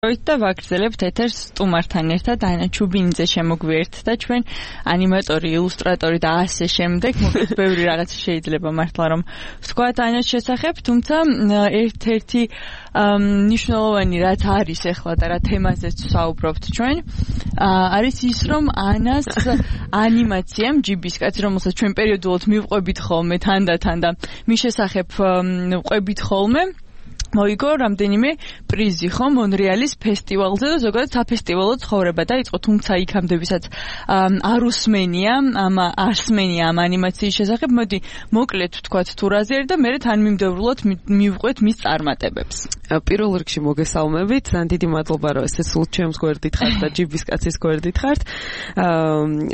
და ვაგრძელებთ ეთერს სტუმართან ერთად ანა ჩუბინიძე შემოგვიერთდა ჩვენ ანიმატორი, ილუსტრატორი და ასე შემდეგ. მოკლედ ბევრი რაღაც შეიძლება მართლა რომ ვთქვათ ანას შესახებ, თუმცა ერთ-ერთი მნიშვნელოვანი რაც არის ახლა და რა თემაზეც ვსაუბრობთ ჩვენ, არის ის რომ ანას ანიმაციამ ჯიბისკაცი, რომელსაც ჩვენ პერიოდულად მივყვებით ხოლმე თანდათან და მის შესახებ ვყვებით ხოლმე მოიგო რამდენიმე პრიზი ხო მონრეალის ფესტივალზე და ზოგადად საფესტივალო ცხოვრება დაიწყო, თუმცა იქამდე ვისაც არ უსმენია ამ ანიმაციის შესახებ, მოდი მოკლედ ვთქვათ თუ რაზე არის და მერე თან მიმდევრულად მივყვეთ მის წარმატებებს. პირველ რიგში მოგესალმებით, ძალიან დიდი მადლობა რომ ესე სულ ჩემს გვერდით ხართ და ჯიბისკაცის გვერდით ხართ.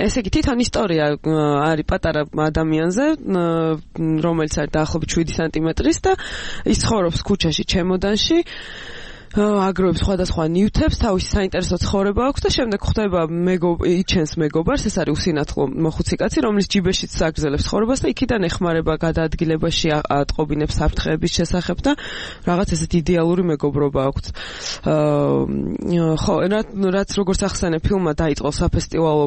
ესე იგი თვითონ ისტორია არის პატარა ადამიანზე, რომელიც არის დაახლოებით 7 სანტიმეტრის და ის ცხოვრობს ქუჩაში ჩემოდანში, აგროვებს სხვადასხვა ნივთებს, თავისი საინტერესო ცხოვრება აქვს და შემდეგ ხვდება იჩენს მეგობარს, ეს არის უსინათლო მოხუცი კაცი, რომლის ჯიბეშიც აგრძელებს ცხოვრებას და იქიდან ეხმარება გადაადგილებაში, ატყობინებს საფრთხეების შესახებ და რაღაც ესეთ იდეალური მეგობრობა აქვს. ხო, რაც როგორც ახსენე, ფილმმა დაიწყო საფესტივალო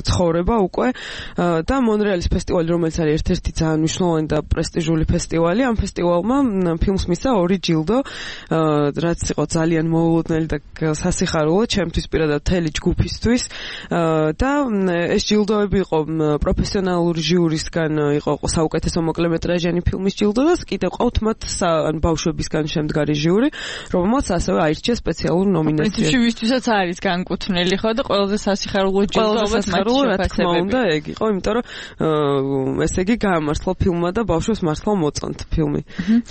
ცხოვრება უკვე და მონრეალის ფესტივალი, რომელიც არის ერთ-ერთი ძალიან მნიშვნელოვანი და პრესტიჟული ფესტივალი, ამ ფესტივალმა ფილმს მისცა 2 ჯილდო, რაც იყო ძალიან მოულოდნელი და სასიხარულო ჩემთვის პირადად მთელი ჯგუფისთვის და ეს ჯილდოები იყო პროფესიონალური ჟიურისგან, იყო საუკეთესო მოკლემეტრაჟიანი ფილმის ჯილდო და კიდევ ყავთ მათ ბავშვებისგან შემდგარი ჟიური, რომელმაც ასევე აირჩია სპეციალურ ნომინაციას. პრინციპში ვისთვისაც არის განკუთვნილი ხო და ყველაზე სასიხარულო ჯილდოებად უნდა ეგ იყო, იმიტომ რომ ესე იგი გაამართლა ფილმმა და ბავშვებს მართლა მოწონთ ფილმი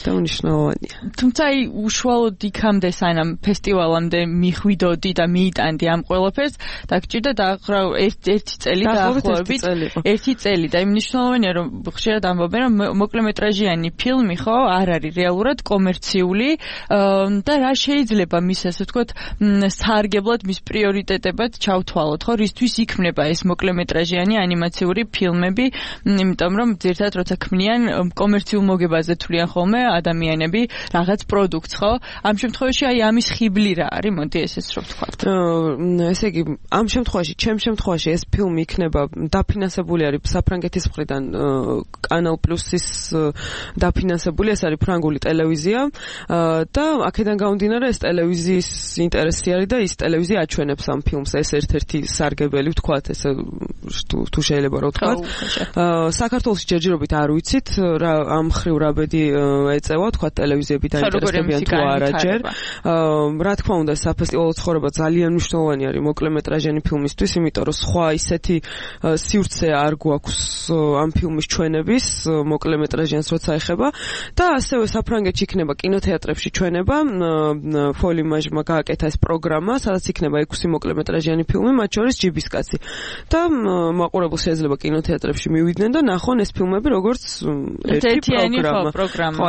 და უნიშნავანია. თუმცა უშუალოდ იქამდე სანამ ფესტივალამდე მიხვიდოდი და მიიტანდი ამ ყველაფერს, დაგჭირდა დაახლოებით ერთი წელი დაახლოებით ერთი წელი და იმ მნიშვნელოვანია რომ ხშირად ამბობენ რომ მოკლემეტრაჟიანი ფილმი ხო არ არის რეალურად კომერციული და რა შეიძლება მის ასე ვთქვათ სარგებლად მის პრიორიტეტებად ჩავთვალოთ ხო რისთვის იქმნება ეს მოკლემეტრაჟიანი ანიმაციური ფილმები, იმიტომ რომ ძირთადად როცა ქმნიან კომერციულ მოგებაზე თვლიან ხოლმე ადამიანები რაღაც პროდუქტს ხო ამ შემთხვევაში აი ამის ხიბლი რა არის, მოდი ესეც რომ ვთქვათ. ესე იგი, ამ შემთხვევაში ეს ფილმი იქნება დაფინანსებული არის საფრანგეთის მხრიდან კანალ პლუსის დაფინანსებული, ეს არის ფრანგული ტელევიზია და აქედან გამომდინარე ეს ტელევიზიის ინტერესი არის და ის ტელევიზია აჩვენებს ამ ფილმს, ეს ერთ-ერთი სარგებელი ვთქვათ, ესე თუ შეიძლება რომ ვთქვათ. საქართველოში ჯერჯერობით არ ვიცით რა ამ ხრივ რა ბედი ეწევა, ვთქვათ ტელევიზიები დაინტერესებიან თუ არა ჯერ. რა თქმა უნდა, საფესტივალო ცხოვრება ძალიან მნიშვნელოვანი არის მოკლემეტრაჟიანი ფილმისთვის, იმიტომ რომ სხვა ისეთი სივრცე არ გვაქვს ამ ფილმის ჩვენების, მოკლემეტრაჟიანს როცა ეხება და ასევე საფრანგეთში იქნება კინოთეატრებში ჩვენება, ფოლიმაჟმა გააკეთა ეს პროგრამა, სადაც იქნება 6 მოკლემეტრაჟიანი ფილმი, მათ შორის ჯიბისკაცი. და მაყურებელს შეიძლება კინოთეატრებში მივიდნენ და ნახონ ეს ფილმები როგორც ერთი პროგრამა. ხო,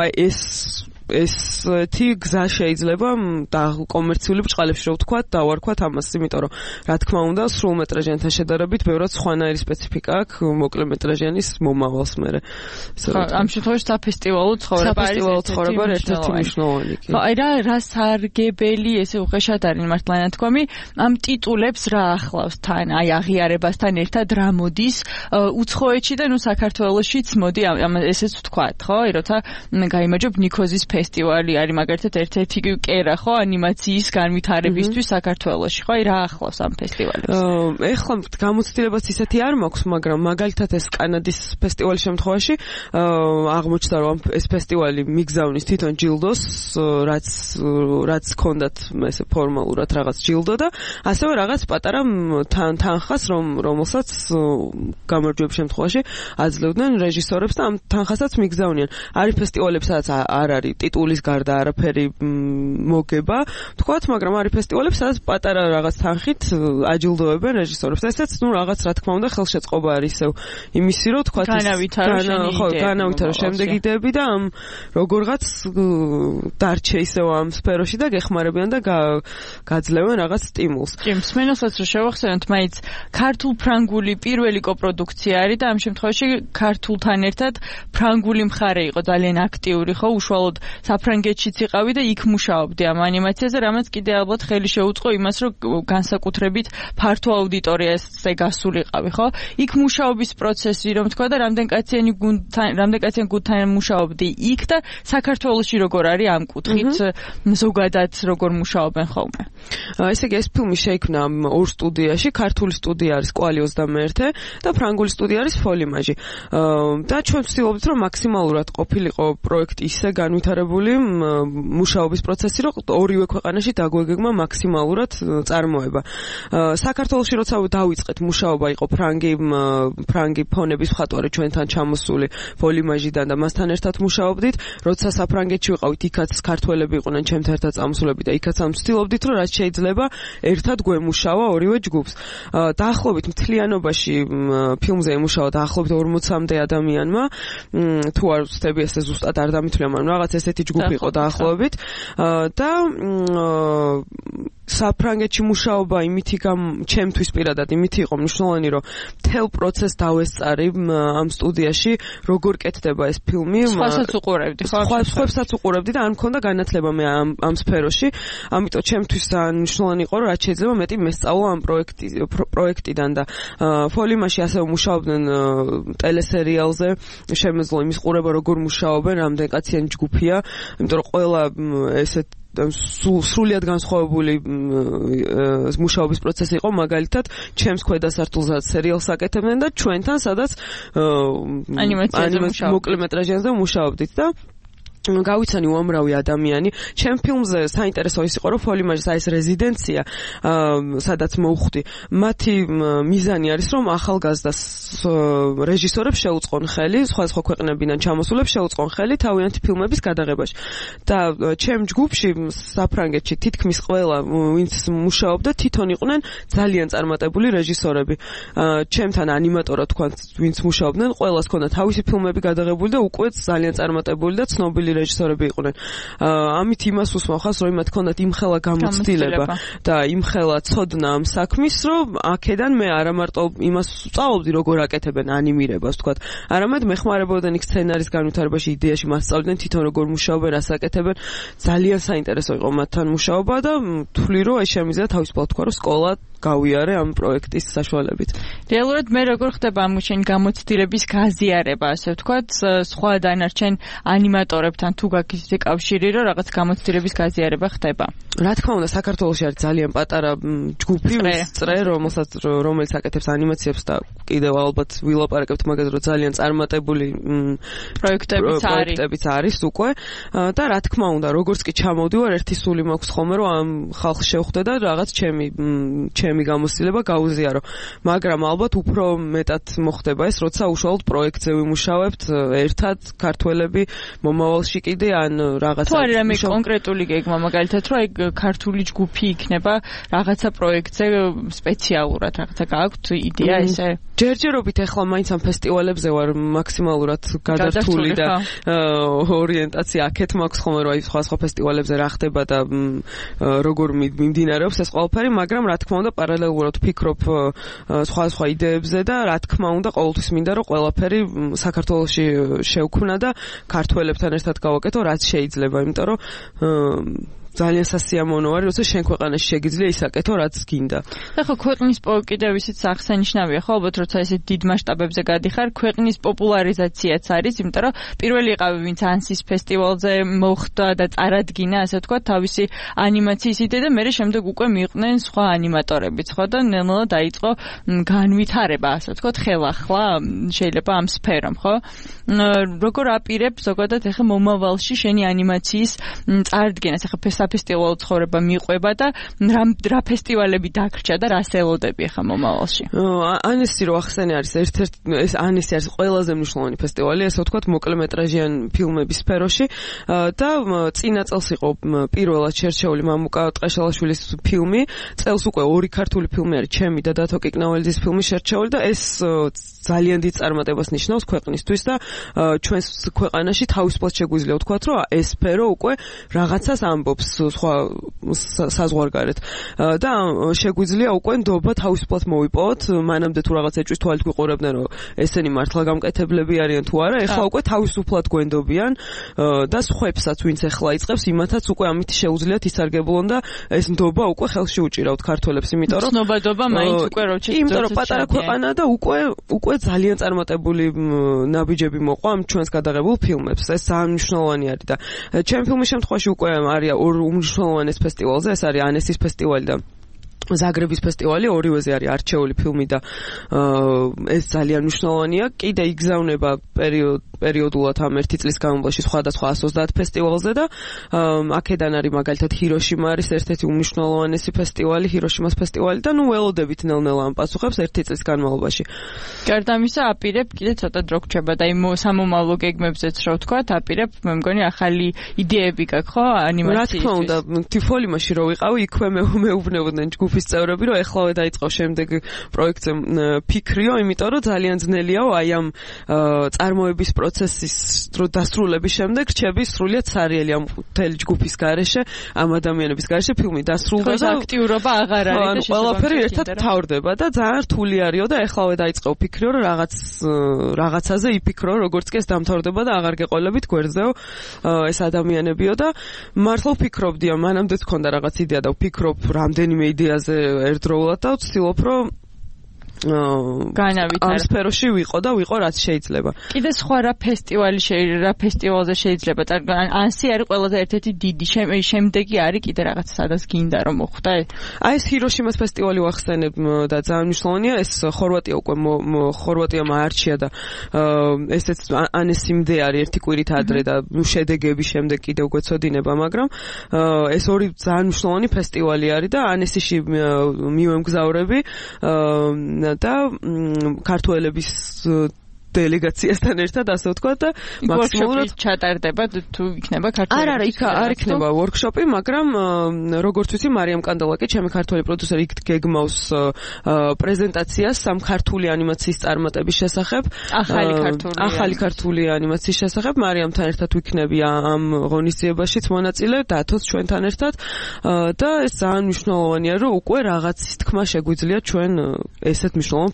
ესეთი გზა შეიძლება და კომერციული ბრჭყალებში რო ვთქვათ, დავარქვათ ამას, იმიტომ რომ რა თქმა უნდა, სრულმეტრაჟიანთან შედარებით ბევრად სხვანაირი სპეციფიკა აქვს მოკლემეტრაჟიანის მომავალს მერე. ამ შემთხვევაში საფესტივალო ცხოვრება არის ერთ-ერთი მნიშვნელოვანი. ხო, აი რა სარგებელი ესე უხეშად არის მართლა ნათქვამი, ამ ტიტულებს რა ახლავს თან, აი აღიარებასთან ერთად რა მოდის უცხოეთში და ნუ საქართველოშიც მოდი ესეც ვთქვათ, ხო? აი როცა გაიმარჯვებ ნიქოზის ფესტივალი არის მაგალითად ერთ-ერთი კერა ხო ანიმაციის განვითარებისთვის საქართველოში ხო აი რა ახლავს ამ ფესტივალებს? ეხლა გამოცდილებაც ისეთი არ მაქვს, მაგრამ მაგალითად ეს კანადის ფესტივალის შემთხვევაში აღმოჩნდა რომ ეს ფესტივალი მიგზავნის თვითონ ჯილდოს, რაც ჰქონდათ ესე ფორმალურად რაღაც ჯილდო და ასევე რაღაც პატარა თანხას, რომელსაც გამარჯვების შემთხვევაში აძლევდნენ რეჟისორებს და ამ თანხასაც მიგზავნიან. არის ფესტივალები, სადაც არ არის ტიტულის გარდა არაფერი მოგება, თქვათ, მაგრამ არის ფესტივალები, სადაც პატარა რაღაც თანხით აჯილდოებენ რეჟისორებს. ესეც ნუ რაღაც რა თქმა უნდა ხელშეწყობა არის ისევ იმისი, რომ თქვათ განავითარო შემდეგი იდეები და ამ როგორღაც დარჩე ისევ ამ სფეროში და გეხმარებიან და გაძლევენ რაღაც სტიმულს. მსმენელსაც რომ შევახსენოთ, მაინც ქართულ-ფრანგული პირველი კოპროდუქცია არის და ამ შემთხვევაში ქართულთან ერთად ფრანგული მხარე იყო ძალიან აქტიური, ხო, უშუალოდ საფრანგეთშიც იყავი და იქ მუშაობდი ამ ანიმაციაზე, რამაც კიდე ალბათ ხელი შეუწყო იმას, რომ განსაკუთრებით ფართო აუდიტორიაზე გასულიყავი, ხო? იქ მუშაობის პროცესი, რომ თქვა და რამდენკაციანი გუნდთან მუშაობდი იქ და საქართველოში როგორ არის ამ კუთხით ზოგადად როგორ მუშაობენ ხოლმე. ესე იგი ეს ფილმი შეიქმნა ორ სტუდიაში, ქართული სტუდია არის კვალი 21 და ფრანგული სტუდია არის ფოლიმაჟი. და ჩვენ ვცდილობთ რომ მაქსიმალურად ყოფილიყო პროექტი ისე განვითარებული მუშაობის პროცესი, რომ ორივე ქვეყანაში დაგვეგეგმა მაქსიმალურად წარმოება. საქართველოში როცა დავიწყეთ მუშაობა იყო ფრანგი ფონების მხატვარი ჩვენთან ჩამოსული ფოლიმაჟიდან და მასთან ერთად მუშაობდით. როცა საფრანგეთში ვიყავით, იქაც ქართველები იყვნენ ჩემთან ერთად წამოსულები და იქაც ვცდილობდით რომ რაც შეიძლება ერთად გვემუშავა ორივე ჯგუფს. დაახლოებით მთლიანობაში ფილმზე ემუშავა დაახლოებით 40-მდე ადამიანმა. თუ არ ვცდები ესე ზუსტად არ დამithვლია, მაგრამ რაღაც ესეთი ჯგუფი იყო დაახლოებით. და საფრანგეთში მუშაობა ჩემთვის პირადად იმითი იყო მნიშვნელოვანი, რომ მთელ პროცესს დავესწარი ამ სტუდიაში, როგორ კეთდება ეს ფილმი. სხვასაც უყურებდი, ხო? სხვასაც უყურებდი და არ მქონდა განათლება მე ამ სფეროში. ამიტომ ჩემთვის მნიშვნელოვანი იყო, რომ რაც შეიძლება მეტი მესწავლა ამ პროექტიდან და ფოლიმაში ასევე მუშაობდნენ ტელესერიალზე. შემეძლო იმის ყურება, როგორ მუშაობენ, რამდენ კაციანი ჯგუფია, იმიტომ რომ ყველა ესეთ სრულიად განსხვავებული მუშაობის პროცესი იყო, მაგალითად ჩემს ქვედა სართულზე სერიალს აკეთებდნენ და ჩვენთან სადაც ანიმაციაზე მოკლემეტრაჟიანზე მუშაობდით და გავიცანი უამრავი ადამიანი. ჩემ ფილმზე საინტერესო ის იყო, რომ ფოლიმაჟის ეს რეზიდენცია, სადაც მოვხვდი, მათი მიზანი არის, რომ ახალგაზრდას რეჟისორებს შეუწყონ ხელი, სხვადასხვა ქვეყნებიდან ჩამოსულებს შეუწყონ ხელი თავიანთი ფილმების გადაღებაში. და ჩემ ჯგუფში საფრანგეთში თითქმის ყველა, ვინც მუშაობდა, თვითონ იყვნენ ძალიან წარმატებული რეჟისორები. ჩემთან ანიმატორად თქვა, ვინც მუშაობდნენ, ყველას ჰქონდა თავისი ფილმები გადაღებული და უკვე ძალიან წარმატებული და ცნობილი რეჟისორები იყვნენ. ამით იმას უსმახავს, რომ მათ ჰქონდათ იმხელა გამოცდილება და იმხელა ცოდნა ამ საქმის, რომ აქედან მე არა მარტო იმას ვწავლობდი, როგორ აკეთებენ ანიმირებას, თქვათ, არამედ მეხმარებოდნენ იქ სცენარის განვითარებაში, იდეაში მასწავლებდნენ თვითონ როგორ მუშაობენ, რას აკეთებენ. ძალიან საინტერესო იყო მათთან მუშაობა და თვლი რომ ეს შემიძლია თავისუფლად თქვა, რომ სკოლა გავიარე ამ პროექტის საშუალებით. რეალურად მე როგორ ხდება ამ შენ გამოცდილების გაზიარება, ასე ვთქვათ, სხვა დანარჩენ ანიმატორებთან თუ გაქვს ისეთი კავშირი, რომ რაღაც გამოცდილების გაზიარება ხდება? რა თქმა უნდა, საქართველოში არის ძალიან პატარა ჯგუფი, წრე, რომელიც აკეთებს ანიმაციებს და კიდევ ალბათ ვილაპარაკებთ მაგაზე, რომ ძალიან წარმატებული პროექტებიც არის უკვე და რა თქმა უნდა, როგორც კი ჩამოვდივარ, ერთი სული მაქვს ხოლმე, რომ ამ ხალხს შევხვდე და რაღაც ჩემი გამოცდილება გაუზიარო. მაგრამ ალბათ უფრო მეტად მოხდება ეს, როცა უშუალოდ პროექტზე ვიმუშავებთ ერთად ქართველები მომავალში კიდე ან რაღაცა. თუ არის რამე კონკრეტული გეგმა, მაგალითად, რომ აი ქართული ჯგუფი იქნება რაღაცა პროექტზე სპეციალურად, რაღაცა გააქვთ იდეა ესე? ჯერჯერობით ახლა მაინც ამ ფესტივალებზე ვარ მაქსიმალურად გადართული და ორიენტაცია აქეთ მაქვს ხოლმე, რომ აი სხვა ფესტივალებზე რა ხდება და როგორ მიმდინარეობს ეს ყველაფერი, მაგრამ რა თქმა უნდა პარალელურად ვფიქრობ სხვა იდეებზე და რა თქმა უნდა ყოველთვის მინდა რომ ყველაფერი საქართველოში შევქმნა და ქართველებთან ერთად გავაკეთო რაც შეიძლება, იმიტომ რომ ძალიან სასიამოვნო არის, როცა შენ ქვეყანაში შეგიძლია ისაკეთო, რაც გინდა. ახლა ქვეყნის კიდევ ისიც აღსანიშნავია, ხო, ალბათ როცა ესე დიდ მასშტაბებზე გადიხარ, ქვეყნის პოპულარიზაციაც არის, იმიტომ რომ პირველი იყავი, ვინც ანსის ფესტივალზე მოხვდა და წარადგინა, ასე ვთქვათ, თავისი ანიმაციის იდეა და მერე შემდეგ უკვე მიყვნენ სხვა ანიმატორებიც, ხო, და ნელ-ნელა დაიწყო განვითარება, ასე ვთქვათ, ხელახლა შეიძლება ამ სფერომ, ხო? როგორ აპირებ ზოგადად ახლა მომავალში შენი ანიმაციის წარდგენას, ახლა საფესტივალო ცხოვრება მიყვება და რა ფესტივალები დაგრჩა და რას ელოდები ახლა მომავალში? ანესი რო ახსენე არის ეს ანესი არის ყველაზე მნიშვნელოვანი ფესტივალი, ასე ვთქვათ, მოკლემეტრაჟიან ფილმების სფეროში და წინა წელს იყო პირველად შერჩეული მამუკა ტყეშელაშვილის ფილმი, წელს უკვე ორი ქართული ფილმი არის, ჩემი და დათო კიკნაველიძის ფილმი შერჩეული და ეს ძალიან დიდ წარმატებას ნიშნავს ქვეყნისთვის და ჩვენს ქვეყანაში თავისუფლად შეგვიძლია ვთქვათ, რომ ეს სფერო უკვე რაღაცას ამბობს სხვა საზღვარგარეთ და შეგვიძლია უკვე ნდობა თავისუფლად მოვიპოვოთ მანამდე თუ რაღაც ეჭვის თვალით გვიყურებდნენ რომ ესენი მართლა გამკეთებლები არიან თუ არა ეხლა უკვე თავისუფლად გვენდობიან და სხვებსაც ვინც ეხლა იწყებს იმათაც უკვე ამით შეუძლიათ ისარგებლონ და ეს ნდობა უკვე ხელში უჭირავთ ქართველებს იმიტომ რომ ცნობადობა მაინც უკვე იმიტომ რომ პატარა ქვეყანა და უკვე ძალიან წარმატებული ნაბიჯები მოყვა ამ ჩვენს გადაღებულ ფილმებს ეს ძალიან მნიშვნელოვანი არის და ჩემ ფილმის შემთხვევაში უკვე არის ორ უმნიშვნელოვანეს ფესტივალზე ეს არის ანესის ფესტივალი და ზაგრების ფესტივალი ორივეზე არის არჩეული ფილმი და ეს ძალიან მნიშვნელოვანია კიდე იგზავნება პერიოდულად ამ ერთი წლის განმავლობაში სხვადასხვა 130 ფესტივალზე და აქედან არის მაგალითად ჰიროშიმა არის ერთ-ერთი უმნიშვნელოვანესი ფესტივალი ჰიროშიმას ფესტივალი და ნუ ველოდებით ნელ-ნელა ამ პასუხებს ერთი წლის განმავლობაში გარდა ამისა აპირებ კიდე ცოტა დრო გრჩება და იმ სამომავლო გეგმებზეც რო ვთქვა აპირებ მე მგონი ახალი იდეები გაქვს ხო ანიმაციის რა თქმა უნდა თიფოლიმაში რო ვიყავი იქვე მეუბნებოდნენ ჯგუფის წევრები რომ ეხლავე დაიწყო შემდეგ პროექტზე ფიქრიო იმიტომ რომ ძალიან ძნელიაო აი ამ წარმოების პროცესის დასრულების შემდეგ რჩები სრულიად სარიელი ამ მთელი ჯგუფის გარეშე ამ ადამიანების გარეშე ფილმი დასრულდა და აქტიურობა აღარ არის და ყველაფერი ერთად თავდება და ძალიან რთული არისო და ეხლავე დაიწყო ფიქრიო რომ რაღაცაზე იფიქრო როგორც კი ეს დამთავრდება და აღარ გეყოლებით გვერდზეო ეს ადამიანებიო და მართლა ვფიქრობდია მანამდეც მქონდა რაღაც იდეა და ვფიქრობ რამდენიმე იდეაზე ერთდროულად და ვცდილობ რომ განავითარო ამ სფეროში ვიყო და ვიყო რაც შეიძლება. კიდე სხვა რა ფესტივალზე შეიძლება ანსი არის ყველაზე ერთ-ერთი დიდი შემდეგი არის კიდე რაღაც სადაც გინდა რომ მოხვდა აი ეს ჰიროშიმას ფესტივალი ვახსენებ და ძალიან მნიშვნელოვანია ეს ხორვატია უკვე ხორვატიამ აარჩია და ესეც ანესიმდე არის ერთი კვირით ადრე და შედეგების შემდეგ კიდევ გვეცოდინება მაგრამ ეს ორი ძალიან მნიშვნელოვანი ფესტივალი არის და ანესიში მივემგზავრები და ქართველების დელეგაციასთან ერთად ასე ვთქვა და მაქსიმალურად ჩატარდება თუ იქნება ქართველი არა არ იქნება ვორქშოპი მაგრამ როგორც ვიცი მარიამ კანდალაკი ჩემი ქართველი პროდიუსერი იქ გეგმავს პრეზენტაციას სამ ქართული ანიმაციის წარმატების შესახებ ახალი ქართული ანიმაციის შესახებ მარიამთან ერთად ვიქნები ამ ღონისძიებაშიც მონაწილე დათოს ჩვენთან ერთად და ეს ძალიან მნიშვნელოვანია რომ უკვე რაღაცის თქმა შეგვიძლია ჩვენ ესეთ მნიშვნელოვან